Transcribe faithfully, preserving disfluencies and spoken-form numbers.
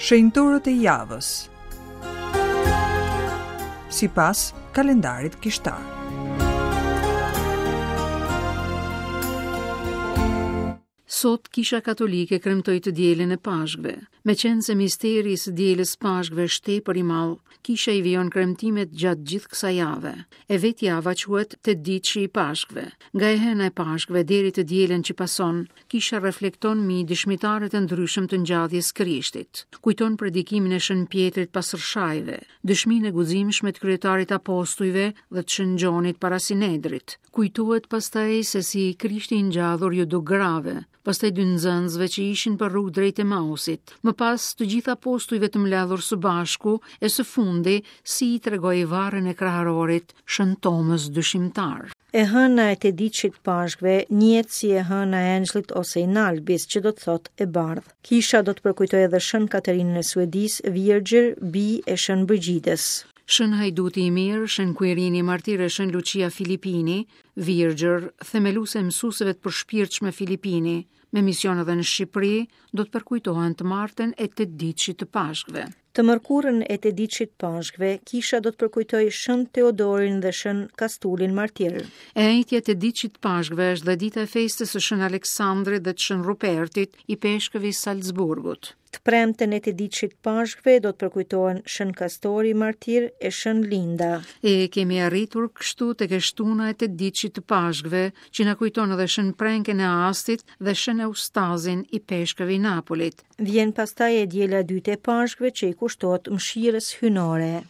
Shenjtorët e javës sipas kalendarit kishtar. Sot Kisha Katolike kremtoi të dielën e Pashkëve. Meqenëse misteri i së dielës Pashkëve është tepër i madh, Kisha i vijon kremtimet gjatë gjithë kësaj jave. E vetë java quhet Tetëditëshi i Pashkëve. Nga e hëna e Pashkëve deri të dielën që pason, Kisha reflekton mbi dëshmitarët e ndryshëm të ngjalljes Krishtit. Kujton predikimin e Shën Pjetrit pas rrëshajve, dëshminë e guximshme të kryetarit apostujve dhe të Shën Gjonit para Sinedrit. Kujtohet pastaj se si Krishti i ngjallur ju duk grave, pastaj dy nxënësve që ishin për rrugë drejt Emausit, më pas të gjithë apostujve të mbledhur së bashku e së fundi si i tregoi varrin e kraharorit Shën Tomës dyshimtar. E hëna e tetëditëshit Pashkëve njihet si e hëna e Engjëllit ose i Nalbis, që do të thotë e bardhë. Kisha do të përkujtojë edhe Shën Katerinën e Suedisë, Virgjër, bijë e Shën Brigjidës. Shën Hajduti i Mirë, Shën Kuirini Martir e Shën Lucia Filipini, Virgjër, themeluese e mësuesve të përshpirtshme Filipini, me mision edhe në Shqipëri, do të përkujtohen të martën e tetëditëshit të Pashkëve. Të mërkurën e tetëditëshit Pashkëve, kisha do të përkujtojë Shën Teodorin dhe Shën Kastulin Martir. E enjtja e tetëditëshit Pashkëve është dhe dita e festës së Shën Aleksandrit dhe të Shën Rupertit, i peshkëvi Salzburgut. Të premten e tetëditëshit Pashkëve do të përkujtohen Shën Kastori Martir e Shën Linda. E kemi arritur kështu tek e shtuna e tetëditëshit të Pashkëve, që na kujton edhe Shën Prenkën e Astit dhe Shën Eustazin i peshkëvi Napolit. Vjen pastaj e diela e dytë e Pashkëve që i kushtohet mëshirës hyjnore.